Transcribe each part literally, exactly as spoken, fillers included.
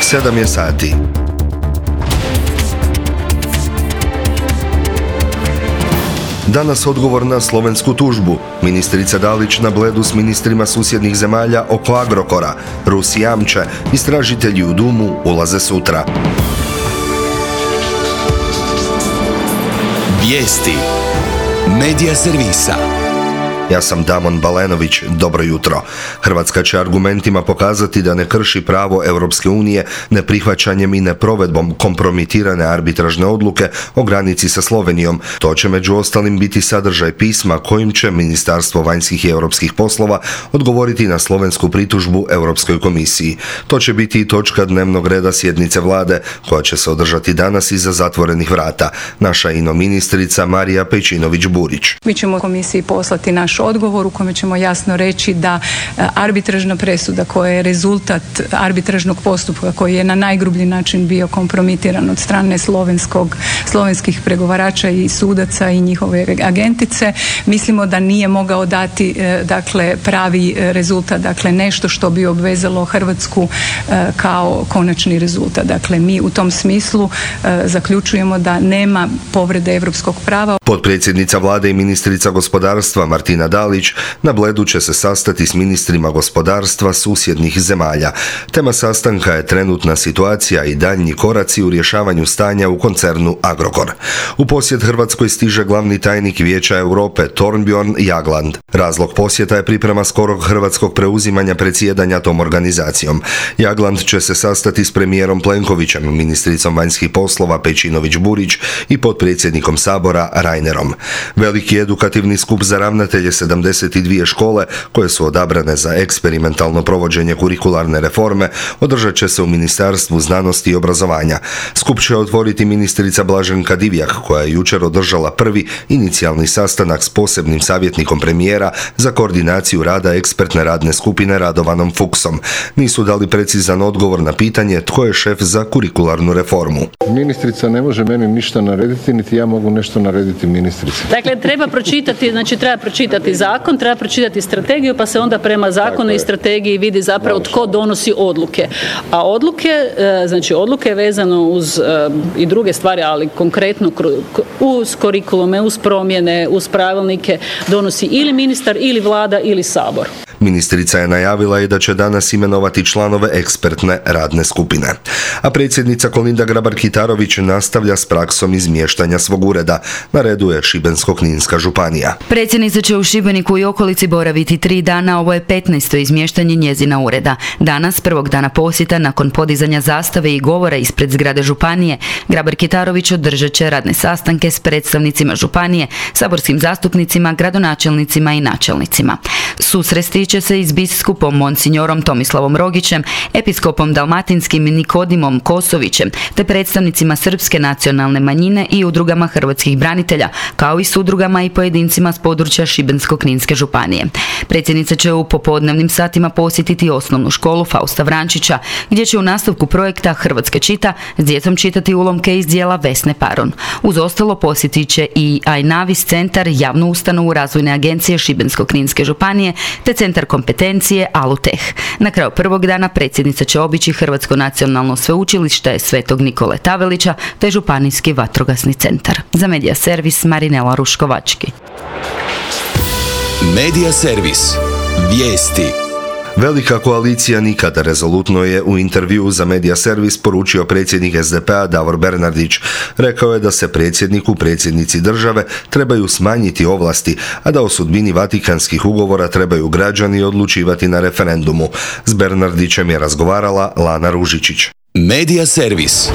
sedam je sati. Danas odgovor na slovensku tužbu. Ministrica Dalić na Bledu s ministrima susjednih zemalja oko Agrokora. Rusi jamče, istražitelji u Dumu ulaze sutra. Vijesti Medija servisa. Ja sam Damon Balenović, dobro jutro. Hrvatska će argumentima pokazati da ne krši pravo Europske unije neprihvaćanjem i neprovedbom kompromitirane arbitražne odluke o granici sa Slovenijom. To će među ostalim biti sadržaj pisma kojim će Ministarstvo vanjskih i europskih poslova odgovoriti na slovensku pritužbu Europskoj komisiji. To će biti i točka dnevnog reda sjednice vlade koja će se održati danas iza zatvorenih vrata. Naša ino ministrica Marija Pejčinović-Burić. Mi ćemo komisiji poslati naš odgovor u kojem ćemo jasno reći da arbitražna presuda koja je rezultat arbitražnog postupka koji je na najgrublji način bio kompromitiran od strane slovenskog, slovenskih pregovarača i sudaca i njihove agentice, mislimo da nije mogao dati dakle pravi rezultat, dakle nešto što bi obvezalo Hrvatsku kao konačni rezultat. Dakle, mi u tom smislu zaključujemo da nema povrede europskog prava. Potpredsjednica vlade i ministrica gospodarstva Martina Dalić na Bledu će se sastati s ministrima gospodarstva susjednih zemalja. Tema sastanka je trenutna situacija i daljnji koraci u rješavanju stanja u koncernu Agrokor. U posjet Hrvatskoj stiže glavni tajnik Vijeća Europe Thorbjørn Jagland. Razlog posjeta je priprema skorog hrvatskog preuzimanja predsjedanja tom organizacijom. Jagland će se sastati s premijerom Plenkovićem, ministricom vanjskih poslova Pejčinović-Burić i potpredsjednikom Sabora Reinerom. Veliki edukativni skup za ravnatelje sedamdeset dvije škole koje su odabrane za eksperimentalno provođenje kurikularne reforme održat će se u Ministarstvu znanosti i obrazovanja. Skup će otvoriti ministrica Blaženka Divjak koja je jučer održala prvi inicijalni sastanak s posebnim savjetnikom premijera za koordinaciju rada ekspertne radne skupine Radovanom Fuchsom. Nisu dali precizan odgovor na pitanje tko je šef za kurikularnu reformu. Ministrica ne može meni ništa narediti, niti ja mogu nešto narediti ministrici. Dakle, treba pročitati, znači treba pročitati zakon, treba pročitati strategiju, pa se onda prema zakonu i strategiji vidi zapravo tko donosi odluke. A odluke, znači odluke vezano uz i druge stvari, ali konkretno uz kurikulume, uz promjene, uz pravilnike donosi ili ministar, ili vlada, ili sabor. Ministrica je najavila i da će danas imenovati članove ekspertne radne skupine. A predsjednica Kolinda Grabar-Kitarović nastavlja s praksom izmještanja svog ureda. Na redu je Šibensko-kninska županija. Predsjednica će u Šibeniku i okolici boraviti tri dana, ovo je petnaesto izmještanje njezina ureda. Danas, prvog dana posjeta, nakon podizanja zastave i govora ispred zgrade županije, Grabar-Kitarović održat će radne sastanke s predstavnicima županije, saborskim zastupnicima, gradonačelnicima i načelnicima. Susresti će se i s biskupom monsignorom Tomislavom Rogićem, episkopom dalmatinskim Nikodimom Kosovićem, te predstavnicima srpske nacionalne manjine i udrugama hrvatskih branitelja, kao i s udrugama i pojedincima s područja Šibensko-kninske županije. Predsjednica će u popodnevnim satima posjetiti osnovnu školu Fausta Vrančića, gdje će u nastavku projekta Hrvatska čita s djecom čitati ulomke iz djela Vesne Paron. Uz ostalo posjetit će i Ajnavis centar, javnu ustanovu razvojne agencije Šibensko-kninske županije, te centar kompetencije Aluteh. Na kraju prvog dana predsjednica će obići Hrvatsko nacionalno sveučilište Svetog Nikole Tavelića te županijski vatrogasni centar. Za Medija servis Marinela Ruškovački. Medija servis. Vijesti. Velika koalicija nikada, rezolutno je u intervjuu za Medija servis poručio predsjednik es de pe a Davor Bernardić. Rekao je da se predsjedniku, predsjednici države trebaju smanjiti ovlasti, a da o sudbini Vatikanskih ugovora trebaju građani odlučivati na referendumu. S Bernardićem je razgovarala Lana Ružičić. Medija servis.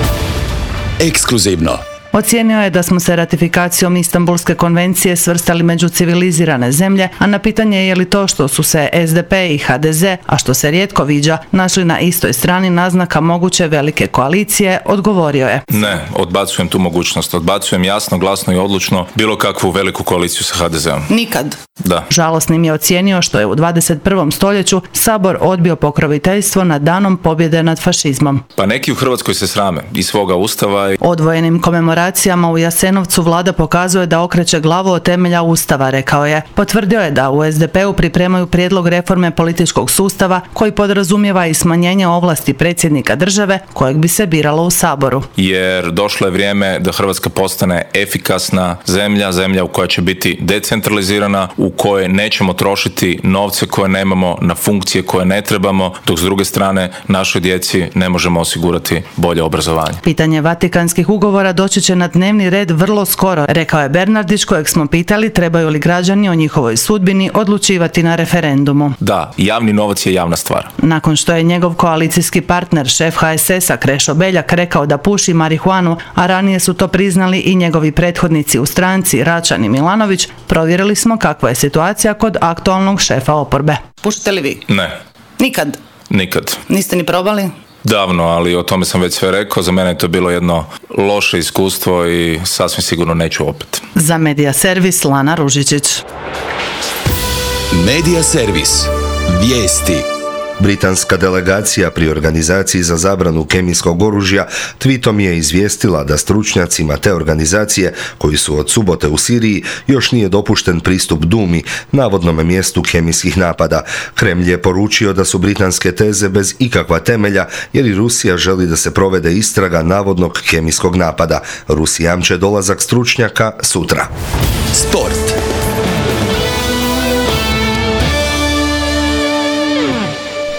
Ekskluzivno. Ocijenio je da smo se ratifikacijom Istanbulske konvencije svrstali među civilizirane zemlje, a na pitanje je li to što su se es de pe i ha de ze, a što se rijetko viđa, našli na istoj strani naznaka moguće velike koalicije, odgovorio je. Ne, odbacujem tu mogućnost. Odbacujem jasno, glasno i odlučno bilo kakvu veliku koaliciju sa ha de zeom. Nikad. Da. Žalosnim je ocijenio što je u dvadeset prvom stoljeću Sabor odbio pokroviteljstvo nad danom pobjede nad fašizmom. Pa neki u Hrvatskoj se srame i svoga ustava. I... Odvojenim komemoracijama operacijama u Jasenovcu vlada pokazuje da okreće glavu od temelja Ustava, rekao je. Potvrdio je da u S D P-u pripremaju prijedlog reforme političkog sustava koji podrazumijeva i smanjenje ovlasti predsjednika države kojeg bi se biralo u Saboru. Jer došlo je vrijeme da Hrvatska postane efikasna zemlja, zemlja u koja će biti decentralizirana, u kojoj nećemo trošiti novce koje nemamo na funkcije koje ne trebamo, dok s druge strane našoj djeci ne možemo osigurati bolje obrazovanje. Pitanje vatikanskih ugovora doći će na dnevni red vrlo skoro, rekao je Bernardić, kojeg smo pitali trebaju li građani o njihovoj sudbini odlučivati na referendumu. Da, javni novac je javna stvar. Nakon što je njegov koalicijski partner, šef H S S-a Krešo Beljak, rekao da puši marihuanu, a ranije su to priznali i njegovi prethodnici u stranci Račan i Milanović, provjerili smo kakva je situacija kod aktualnog šefa oporbe. Pušite li vi? Ne. Nikad? Nikad. Niste ni probali? Davno, ali o tome sam već sve rekao. Za mene je to bilo jedno loše iskustvo i sasvim sigurno neću opet. Za Medija servis Lana Ružičić. Medija servis. Vijesti. Britanska delegacija pri organizaciji za zabranu kemijskog oružja tweetom je izvijestila da stručnjacima te organizacije, koji su od subote u Siriji, još nije dopušten pristup Dumi, navodnom mjestu kemijskih napada. Kremlj je poručio da su britanske teze bez ikakva temelja, jer i Rusija želi da se provede istraga navodnog kemijskog napada. Rusi jamče dolazak stručnjaka sutra. Sport.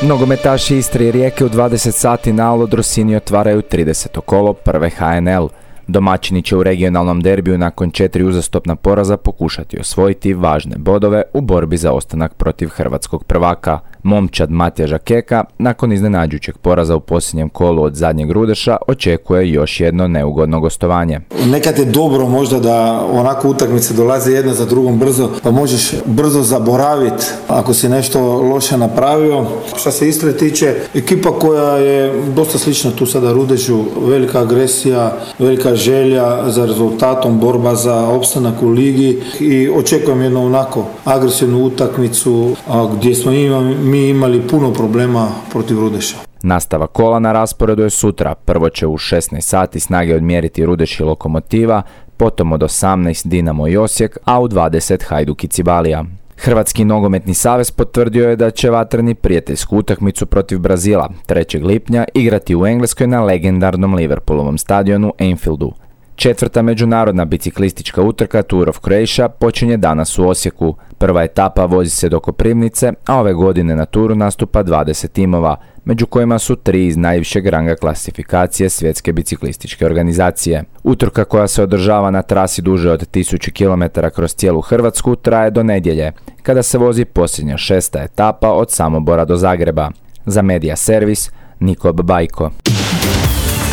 Nogometaši Istre i Rijeke u dvadeset sati na Aldo Drosini otvaraju trideseto kolo prve H N L. Domaćini će u regionalnom derbiju nakon četiri uzastopna poraza pokušati osvojiti važne bodove u borbi za ostanak protiv hrvatskog prvaka. Momčad Matjaža Keka, nakon iznenađujućeg poraza u posljednjem kolu od zadnjeg Rudeša, očekuje još jedno neugodno gostovanje. Nekad je dobro možda da onako utakmice dolaze jedna za drugom brzo, pa možeš brzo zaboraviti ako si nešto loše napravio. Što se Istre tiče, ekipa koja je dosta slična tu sada Rudešu, velika agresija, velika želja za rezultatom, borba za opstanak u ligi i očekujem jednu onako agresivnu utakmicu gdje smo imali mi imali puno problema protiv Rudeša. Nastava kola na rasporedu je sutra. Prvo će u šesnaest sati snage odmjeriti Rudeš i Lokomotiva, potom od osamnaest Dinamo i Osijek, a u dvadeset Hajduk i Cibalija. Hrvatski nogometni savez potvrdio je da će vatreni prijateljsku utakmicu protiv Brazila trećeg lipnja igrati u Engleskoj na legendarnom Liverpoolovom stadionu Anfieldu. Četvrta međunarodna biciklistička utrka Tour of Croatia počinje danas u Osijeku. Prva etapa vozi se do Koprivnice, a ove godine na turu nastupa dvadeset timova, među kojima su tri iz najvišeg ranga klasifikacije Svjetske biciklističke organizacije. Utrka, koja se održava na trasi duže od tisuću kilometara kroz cijelu Hrvatsku, traje do nedjelje, kada se vozi posljednja šesta etapa od Samobora do Zagreba. Za Medija servis, Nikob Bajko.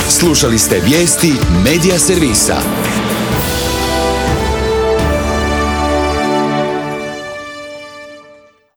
Slušali ste vijesti Medija servisa.